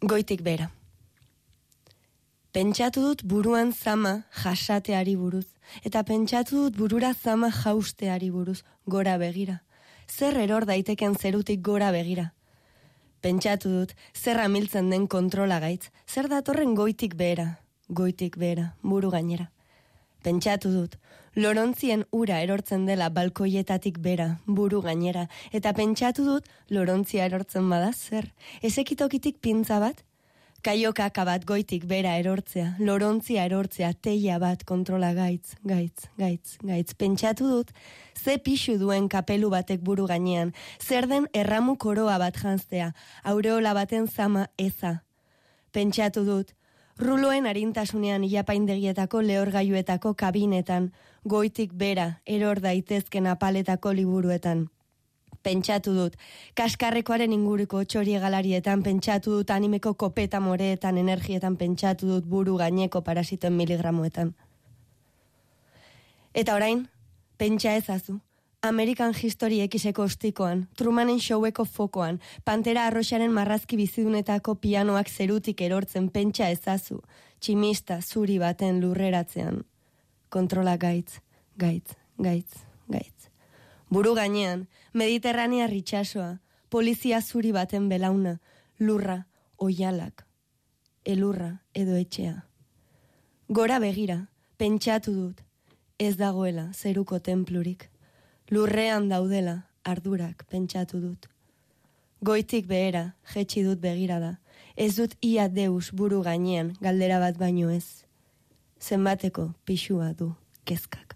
Goitik bera. Pentsatu dut buruan zama jasateari buruz, eta pentsatu dut burura zama jausteari buruz, gora begira. Zer eror daiteken zerutik gora begira. Pentsatu dut zer amiltzen den kontrola gaitz, zer datorren goitik behera, buru gainera. Pentsatu dut, lorontzien ura erortzen dela balkoietatik bera, buru gainera, eta pentsatu dut lorontzia erortzen bada zer, ezekitokitik pintza bat, kaiokaka bat goitik bera erortzea, lorontzia erortzea, teia bat kontrola gaitz. Pentsatu dut, ze pixu duen kapelu batek buru gainean, zer den erramu koroa bat janztea, aureola baten zama eza. Pentsatu dut, ruloen arintasunean ilapaindegietako lehorgailuetako kabinetan, goitik bera, eror daitezken apaletako liburuetan. Pentsatu dut, kaskarrekoaren inguruko txoriegalarietan, pentsatu dut animeko kopeta moreetan, energietan, pentsatu dut buru gaineko parasitoen miligramoetan. Eta orain, pentsa ezazu, American History Xeko ostikoan, Trumanen showeko fokoan, Pantera Arroxaren marrazki bizidunetako pianoak zerutik erortzen pentsa ezazu, tximista zuri baten lurreratzean. Kontrola gaitz. Buru gainean, Mediterranea ritxasoa, polizia zuri baten belauna, lurra, oialak, elurra edo etxea. Gora begira, pentsatu dut, ez dagoela zeruko tenplurik. Lurrean daudela, ardurak pentsatu dut. Goitik behera, jetxi dut begirada, ez dut ia deus buru gainean, galdera bat baino ez. Zenbateko pixua du kezkak.